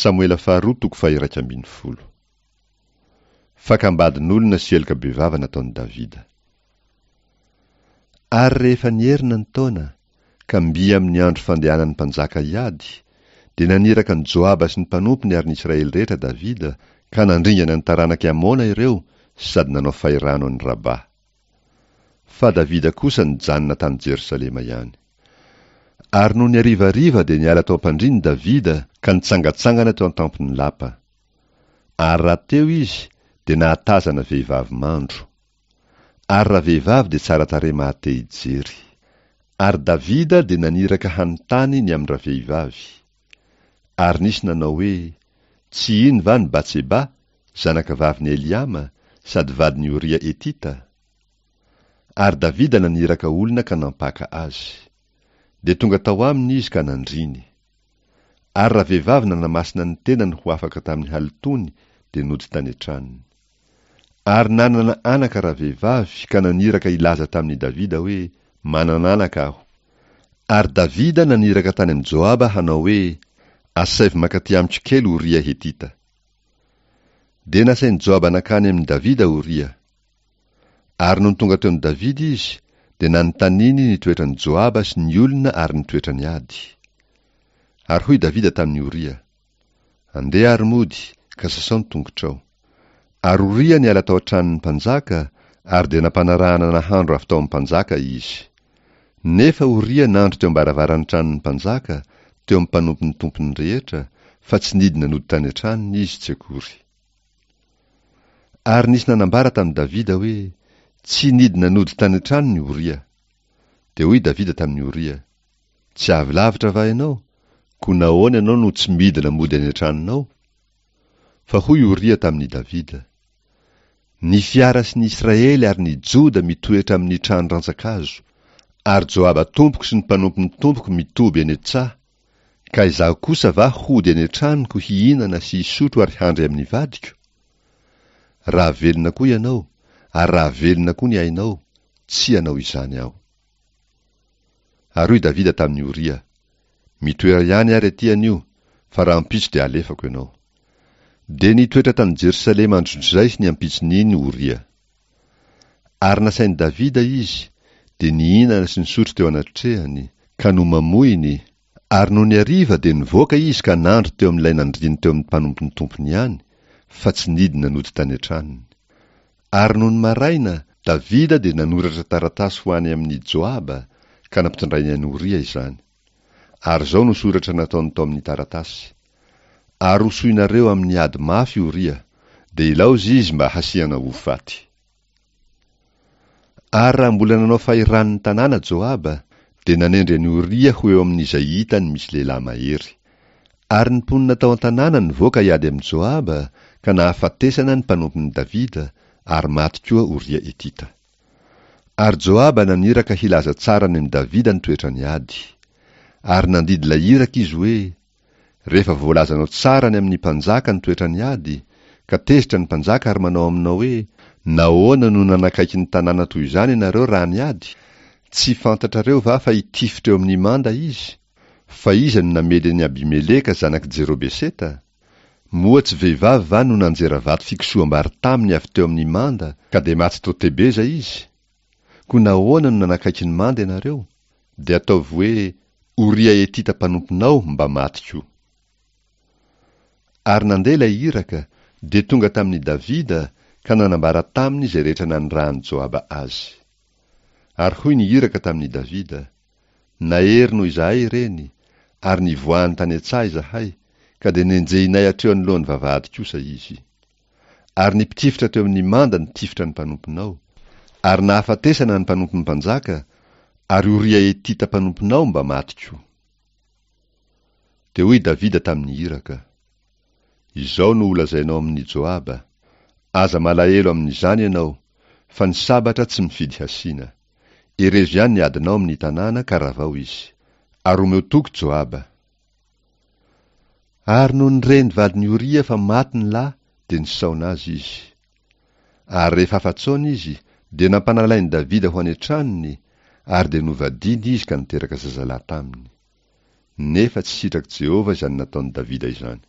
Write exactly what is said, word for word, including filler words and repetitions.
Samoela faharoa toko faha-iraika ambin'ny folo. Fakam-badin'olona sy heloka bevava nataon'i Davida. Ary rehefa nierina ny taona, ka mby amin'ny andro fandehanan'ny mpanjaka hiady, dia naniraka an'i Joaba sy ny mpanompony ary ny Israely rehetra Davida, ka nandringana ny taranak'i Amona ireo sady nanao fahirano an'i Rabà. Fa Davida kosa nijanona tany Jerosalema ihany. Ary nony harivariva dia niala tao am-pandriany Davida ka nitsangantsangana teo an-tampon'ny lapa. Ary raha teo izy dia nahatazana vehivavy mandro. Ary ravehivavy dia tsara tarehy mahate hijery. Ary Davida dia naniraka hanontany ny amin-dravehivavy. Ary nisy nanao hoe, Tsy iny va ny Batseba, zanakavavin'i Eliama, sady vadin'i Oria Hetita? Ary Davida naniraka olona ka nampaka azy. Dia tonga tao aminy izy ka nandriny. Ary ravehivavy nanamasina ny tenany ho afaka tamin'ny halotoany dia nody tany an-tranony. Ary nanana anaka ravehivavy ka naniraka hilaza tamin'i Davida hoe, Manana anaka aho. Ary Davida naniraka tany amin'i Joaba hanao hoe, Asaivo mankaty amiko kely Oria Hetita. Dia nasain'i Joaba nankany amin'i Davida Oria. Ary nony tonga teo amin'i Davida izy, dia nanontaniany ny toetran'i Joaba sy ny olona ary ny toetrany ady. Ary hoy Davida tamin'i Oria, Andeha ary mody, ka sasao ny tongotrao. Ary Oria niala tao an-tranon'ny mpanjaka, ary dia nampanarahana nahandro avy tao amin'ny mpanjaka izy. Nefa Oria nandro teo am-baravaran'ny tranon'ny mpanjaka, teo amin'ny mpanompon'ny tompony rehetra, fa tsy nidina nody tany an-tranony izy tsy akory. Ary nisy nanambara tamin'i Davida hoe, Tsy nidina nody tany an-tranony Oria. Dia hoy Davida tamin'i Oria, Tsy avy lavitra va ianao? Koa nahoana ianao no tsy midina mody any an-tranonao? Fa hoy Oria tamin'i Davida, Ny fiara sy ny Israely ary ny Joda mitoetra amin'ny trano rantsan-kazo, ary Joaba tompoko sy ny mpanompon'ny tompoko mitoby eny an-tsaha, ka izaho kosa va hody any an-tranoko hihinana sy hisotro ary handry amin'ny vadiko? Raha velona koa ianao, ary raha velona koa ny ainao, tsy hanao izany aho. Ary hoy Davida tamin'i Oria, Mitoera ihany ary aty anio, fa rahampitso dia halefako ianao. Dia nitoetra tany Jerosalema androndrizay sy ny ampitson'iny Oria. Ary nasain'i Davida izy, dia nihinana sy nisotro teo anatrehany, ka nomamoiny, ary nony hariva dia nivoaka izy ka nandro teo amin'ilay nandriany teo amin'ny mpanompon'ny tompony ihany, fa tsy nidina nody tany an-tranony. Ary nony maraina, Davida dia nanoratra taratasy ho any amin'i Joaba, ka nampitondrainy an'i Oria izany. Ary izao no soratra nataony tao amin'ny taratasy, Arosoinareo amin'ny ady mafy Oria, dia ilaozy izy mba hasiana ho faty. Ary raha mbola nanao fahirano ny tanàna Joaba, dia nanendry an'i Oria ho eo amin'izay hitany misy lehilahy mahery. Ary ny mponina tao an-tanàna nivoaka hiady amin'i Joaba, ka nahafatesana ny mpanompon'i Davida, ary maty koa Oria Hetita. Ary Joaba naniraka hilaza tsara any amin'i Davida ny toetrany ady. Ary nandidy ilay iraka izy hoe, Rehefa voalazanao tsara any amin'ny mpanjaka ny toetrany ady, ka tezitra ny mpanjaka ary manao aminao hoe, Nahoana no nanakaiky ny tanàna toy izany ianareo raha niady? Tsy fantatrareo va fa hitifitra eo amin'ny manda izy? Fa iza no namely an'i Abimeleka zanak'i Jerobeseta? Moa tsy vehivavy va no nanjera vato fikosoham-bary taminy avy teo amin'ny manda, ka dia maty tao Tebeza izy? Koa nahoana no nanakaiky ny manda ianareo? Dia ataovy hoe, Oria Hetita mpanomponao mba maty koa. Ary nandeha ilay iraka, dia tonga tamin'i Davida, ka nanambara taminy izay rehetra nanirahan'i Joaba azy. Ary hoy ny iraka tamin'i Davida, Nahery noho izahay ireny, ary nivoahany tany an-tsaha izahay, ka dia nenjehinay hatreo anoloan'ny vavahady kosa izy. Ary ny mpitifitra teo amin'ny manda nitifitra ny mpanomponao, ary nahafatesana ny mpanompon'ny mpanjaka, ary Oria Hetita mpanomponao mba maty koa. Dia hoy Davida tamin'ny iraka, Izao no holazainao amin'i Joaba, Aza malahelo amin'izany ianao, fa ny sabatra tsy mifidy hasina. Herezo ihany ny adinao amin'ny tanàna ka ravao izy. Ary omeo toky Joaba. Ary nony ren'ny vadin'i Oria fa maty ny lahy, dia nisaona azy izy. Ary rehefa afa-tsaona izy, dia nampanalain'i Davida ho any an-tranony, ary dia novadiany izy ka niteraka zazalahy taminy. Nefa tsy sitrak'i Jehovah izany nataon'i Davida izany.